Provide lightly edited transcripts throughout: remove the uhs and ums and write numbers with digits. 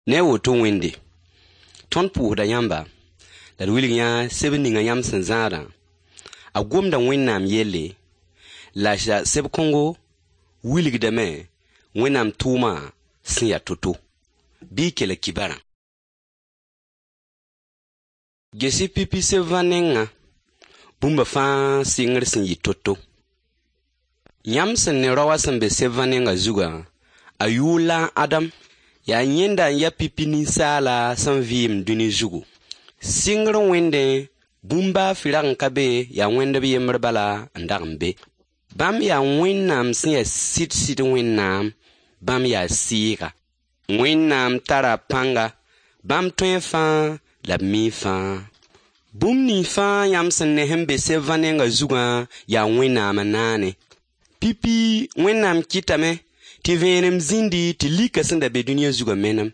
Ne woto Wẽnde, tõnd pʋʋsda yãmba, la d wilg yã sebr ninga yãmb sẽn zãadã. A gomda Wẽnnaam yelle, la seb kõngo wilgdame Wẽnnaam tʋʋma sẽn yaa to-to. Bɩ y kelg kibarã. Ges-y pipi seb-vã nengã, bũmba fãa sɩngr sẽn yɩ to-to. Yãmb sẽn ne rao wã sẽn be seb-vã nengã zugã, a yʋʋr la a Adam. Yaa yẽnda n ya pipi ninsaala sẽn vɩɩm dũni zugu. Sɩngr Wẽndẽ, bũmb baa fɩ rag n ka be, yaa Wẽnd b yembr bala n dag n be. Bãmb yaa Wẽnnaam sẽn yaa sɩd-sɩd Wẽnnaam, bãmb yaa Sɩɩga. Wẽnnaam tara pãnga, bãmb tõe fãa la b mi fãa. Bũmb nins fãa yãmb sẽn ne sẽn be seb-vã nengã zugã yaa Wẽnnaam n naane. Pipi Wẽnnaam kɩtame tɩ vẽenem zĩndi tɩ lika sẽn da be dũniyã zugã menem.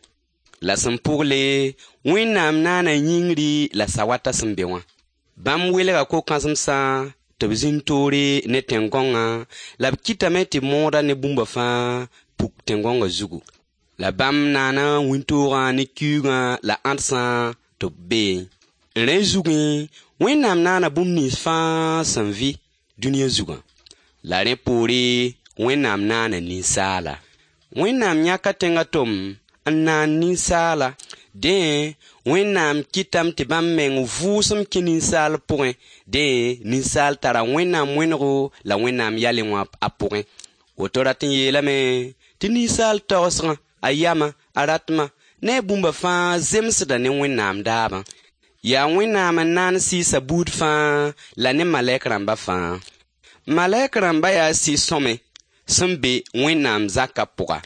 La sẽn pʋgle, Wẽnnaam naana yĩngri la sawatã sẽn be wã. Bãmb welga ko-kãsemsã tɩ b zĩnd toore ne tẽn-gõngã, la b kɩtame tɩ mooda ne bũmba fãa puk tẽn-gõngã zugu. La bãmb naana wĩntoogã ne kiuugã la ãdsã tɩ b beẽ. Rẽ zugẽ, Wẽnnaam naana bũmb nins fãa sẽn vɩ dũniyã zugã. La rẽ poore, Wẽnnaam naana ninsaala. Wẽnnaam yãka tẽngã tom n naan ninsaala. Dẽ, Wẽnnaam kɩtame tɩ bãmb meng vʋʋsem kẽ ninsaal pʋgẽ. Dẽ, ninsaal tara Wẽnnaam wẽnego la Wẽnnaam yalẽ wã a pʋgẽ. Woto rat n yeelame tɩ ninsaal tagsgã, a yamã, a ratmã ne a bũmba fãa zemsda ne Wẽnnaam daabã. Yaa Wẽnnaam n naan sɩɩsa buud fãa la ne malɛk rãmba fãa. Malɛk rãmba yaa sɩ-sõme sẽn be Wẽnnaam zakã pʋga.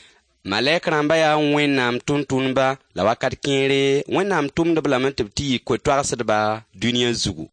Malɛk rãmba yaa Wẽnnaam tʋmtʋmdba la wakat kẽere Wẽnnaam tʋmd-b lame tɩ b tɩ yɩ koe-toagsdba dũniyã zugu.